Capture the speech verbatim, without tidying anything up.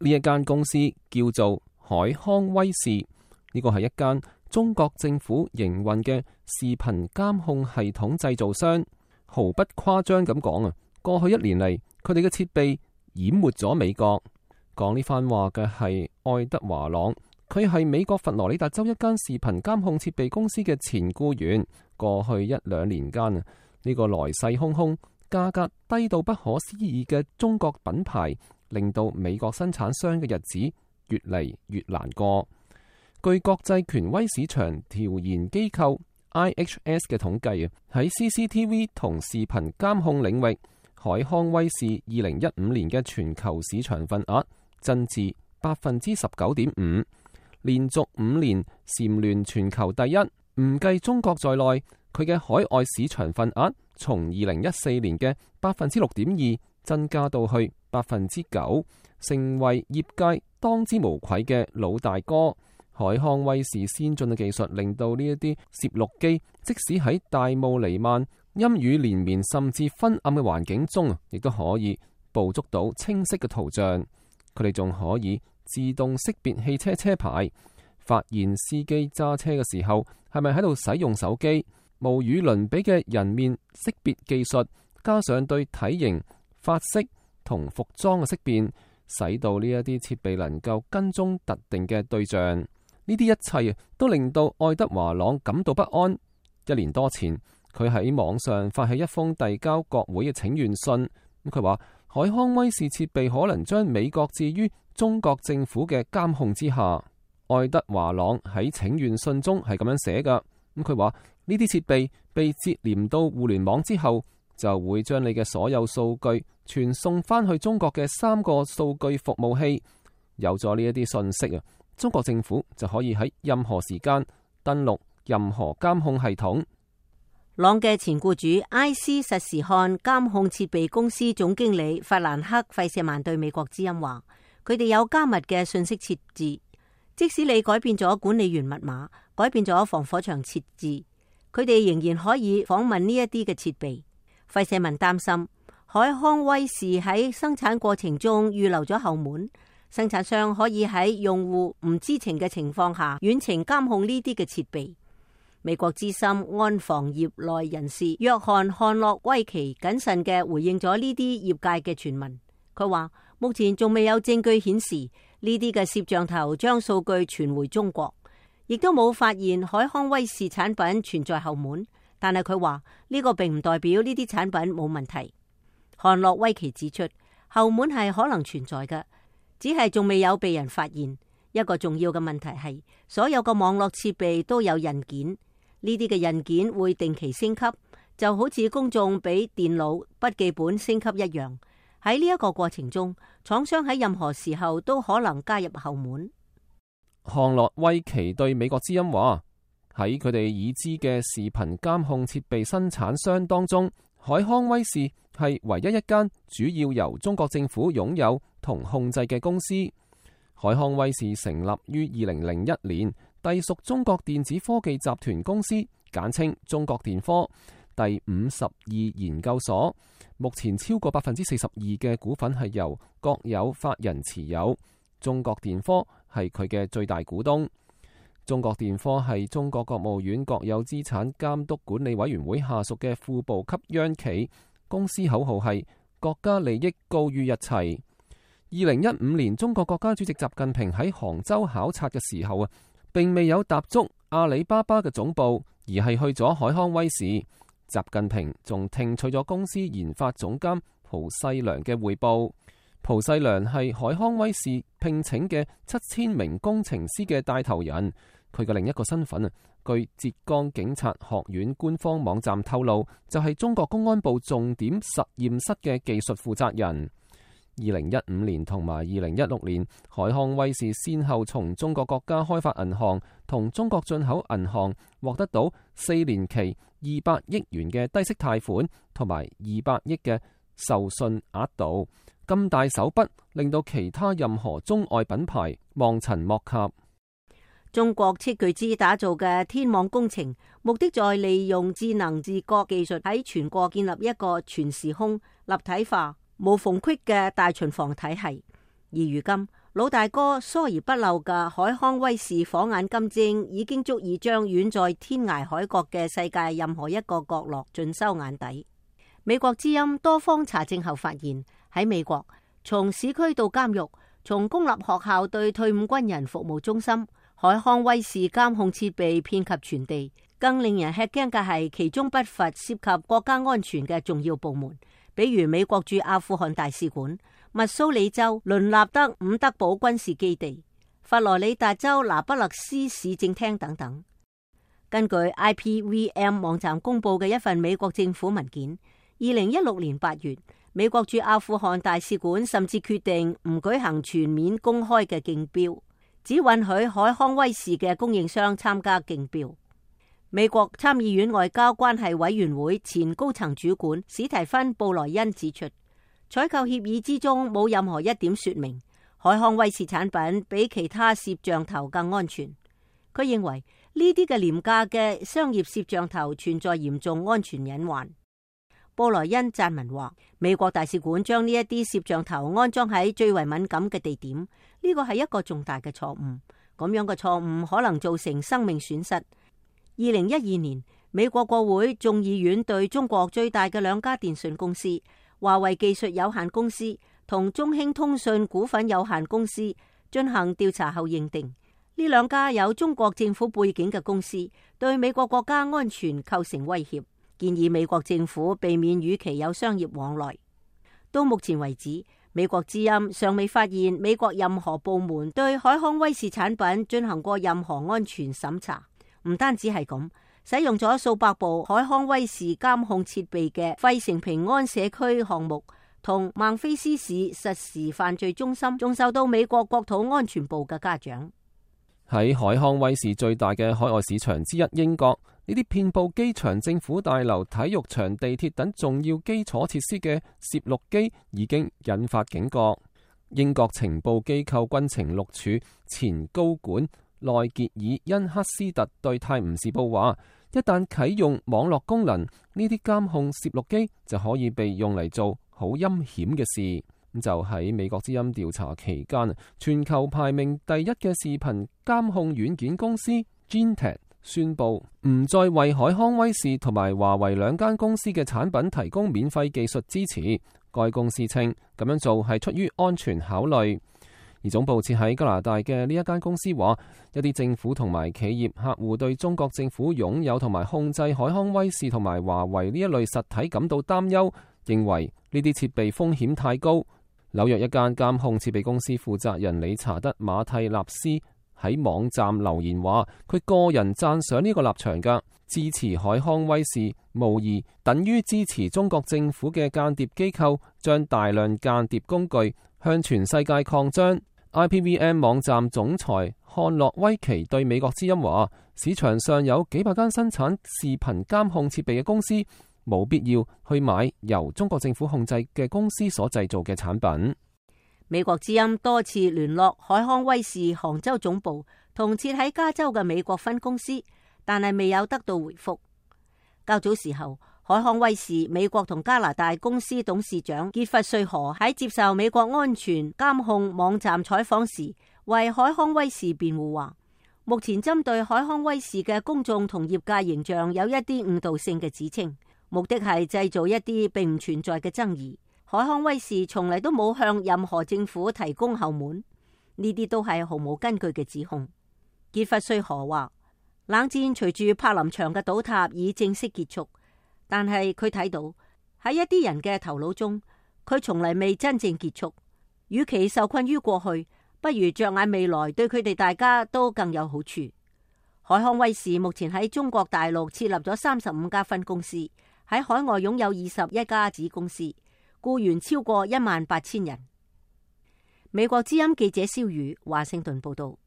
呢一間公司叫做海康威視，呢個係一間中國政府營運嘅視頻監控系統製造商。毫不誇張咁講啊，過去一年嚟，佢哋嘅設備淹沒咗美國。講呢番話嘅係愛德華朗，佢係美國佛羅里達州一間視頻監控設備公司嘅前僱員。過去一兩年間啊，呢個來勢洶洶、價格低到不可思議嘅中國品牌，令到美國生產商嘅日子越嚟越難過。據國際權威市場調研機構 I H S 嘅統計啊，喺 C C T V 同視頻監控領域，海康威視二零一五年嘅全球市場份額增至百分之十九點五，連續五年蟬聯全球第一。唔計中國在內，佢嘅海外市場份額從二零一四年嘅百分之六點二增加到去百分之九，成為業界當之無愧嘅老大哥。海康威視先進嘅技術令到呢一啲攝錄機，即使喺大霧彌漫、陰雨連綿甚至昏暗嘅環境中，亦都可以捕捉到清晰嘅圖像。佢哋仲可以自動識別汽車車牌，發現司機揸車嘅時候係咪喺度使用手機。無與倫比嘅人面識別技術，加上對體型、髮色同服裝嘅識別，使到呢一啲設備能夠跟蹤特定嘅對象。呢啲一切都令到愛德華朗感到不安。一年多前，佢喺網上發起一封遞交國會嘅請願信。咁佢話海康威視設備可能將美國置於中國政府嘅監控之下。愛德華朗喺請願信中係咁樣寫噶。咁佢話呢啲設備被接連到互聯網之後，就會將你嘅所有數據傳送翻去中國嘅三個數據服務器。有咗呢一啲信息啊，中國政府就可以喺任何時間登錄任何監控系統。朗嘅前僱主埃斯實時看監控設備公司總經理法蘭克費舍曼對美國之音話：佢哋有加密嘅信息設置，即使你改變咗管理員密碼，改變咗防火牆設置，佢哋仍然可以訪問呢一啲嘅設備。費舍曼擔心海康威視喺生產過程中預留咗後門，生產商可以喺用戶唔知情嘅情況下遠程監控呢啲嘅設備。美國資深安防業內人士約翰漢諾威奇謹慎嘅回應咗呢啲業界嘅傳聞。佢話目前仲未有證據顯示呢啲嘅攝像頭將數據傳回中國，亦都冇發現海康威視產品存在後門。但係佢話呢個並唔代表呢啲產品冇問題。漢諾威奇指出，後門係可能存在嘅，只係仲未有被人發現。一個重要嘅問題係所有嘅網絡設備都有印件。呢啲嘅印件會定期升級，就好似公眾俾電腦筆記本升級一樣。喺呢一個過程中，廠商喺任何時候都可能加入後門。漢諾威奇對美國之音話：喺佢哋已知嘅視頻監控設備生產商當中，海康威視係唯一一間主要由中國政府擁有同控制嘅公司。海康威視成立於二零零一年，隸屬中國電子科技集團公司，簡稱中國電科第五十二研究所。目前超過百分之四十二嘅股份係由國有法人持有，中國電科係佢嘅最大股東。中國電科係中國國務院國有資產監督管理委員會下屬嘅副部級央企，公司口號係國家利益高於一切。二零一五年，中國國家主席習近平喺杭州考察嘅時候啊，並未有踏足阿里巴巴嘅總部，而係去咗海康威視。習近平仲聽取咗公司研發總監蒲世良嘅匯報。蒲世良係海康威視聘請嘅七千名工程師嘅帶頭人。佢嘅另一個身份啊，據浙江警察學院官方網站透露，就係中國公安部重點實驗室嘅技術負責人。二零一五年同埋二零一六年，海康威視先後從中國國家開發銀行同中國進口銀行獲得到四年期二百億元嘅低息貸款，同埋二百億嘅授信額度。咁大手筆，令到其他任何中外品牌望塵莫及。中國斥巨資打造嘅天網工程，目的在利用智能自覺技術喺全國建立一個全時空、立體化、無縫隙嘅大巡防體系。而如今，老大哥疏而不漏嘅海康威視火眼金睛已經足以將遠在天涯海角嘅世界任何一個角落盡收眼底。美國之音多方查證後發現，喺美國從市區到監獄，從公立學校對退伍軍人服務中心，海康威視監控設備遍及全地。更令人吃驚嘅係，其中不乏涉及國家安全嘅重要部門，比如美國駐阿富汗大使館、密蘇里州倫納德伍德堡軍事基地、佛羅里達州拿不勒斯市政廳等等。根據 I P V M 網站公布嘅一份美國政府文件，二零一六年八月，美國駐阿富汗大使館甚至決定唔舉行全面公開嘅競標，只允許海康威視嘅供應商參加競標。美國參議院外交關係委員會前高層主管史提芬布萊恩指出，採購協議之中冇任何一點說明海康威視產品比其他攝像頭更安全。佢認為呢啲嘅廉價嘅商業攝像頭存在嚴重安全隱患。布萊恩撰文話，美國大使館將呢一啲攝像頭安裝喺最為敏感嘅地點，呢個係一個重大嘅錯誤。咁樣嘅錯誤可能造成生命損失。二零一二年，美國國會眾議院對中國最大嘅兩家電信公司華為技術有限公司同中興通訊股份有限公司進行調查後認定，呢兩家有中國政府背景嘅公司對美國國家安全構成威脅，建議美國政府避免與其有商業往來。到目前為止，美國之音尚未發現美國任何部門對海康威視產品進行過任何安全審查。唔單止係咁，使用咗數百部海康威視監控設備嘅費城平安社區項目同孟菲斯市實時犯罪中心，仲受到美國國土安全部嘅嘉獎。喺海康威視最大嘅海外市場之一英國，呢啲遍佈機場、政府大樓、體育場、地鐵等重要基礎設施嘅攝錄機已經引發警覺。英國情報機構軍情六處前高管內傑爾恩克斯特對泰晤士報話，一旦啟用網絡功能，呢啲監控攝錄機就可以被用嚟做好陰險嘅事。就喺美國之音調查期間，全球排名第一嘅視頻監控軟件公司 Gentek 宣布唔再為海康威視同埋華為兩間公司嘅產品提供免費技術支持。該公司稱咁樣做係出於安全考慮。而總部設喺加拿大嘅呢一間公司話，一啲政府同埋企業客戶對中國政府擁有同埋控制海康威視同埋華為呢一類實體感到擔憂，認為呢啲設備風險太高。紐約一間監控設備公司負責人理查德馬蒂納斯喺網站留言話，佢個人讚賞呢個立場㗎，支持海康威視無疑等於支持中國政府嘅間諜機構將大量間諜工具向全世界擴張。I P V M 網站總裁漢諾威奇對美國之音話，市場上有幾百間生產視頻監控設備嘅公司，冇必要去買由中國政府控制嘅公司所製造嘅產品。美國之音多次聯絡海康威視杭州總部同設喺加州嘅美國分公司，但係未有得到回覆。較早時候，海康威視美國同加拿大公司董事長傑弗瑞河喺接受美國安全監控網站採訪時，為海康威視辯護話，目前針對海康威視嘅公眾同業界形象有一啲誤導性嘅指稱，目的係製造一啲並唔存在嘅爭議。海康威視從嚟都冇向任何政府提供後門，呢啲都係毫無根據嘅指控。傑弗瑞河話，冷戰隨住柏林牆嘅倒塌已正式結束。但係佢睇到喺一啲人嘅頭腦中，佢從嚟未真正結束。與其受困於過去，不如着眼未來，對佢哋大家都更有好處。海康威視目前喺中國大陸設立咗三十五家分公司，喺海外擁有二十一家子公司，僱員超過一萬八千人。美國之音記者蕭宇華盛頓報道。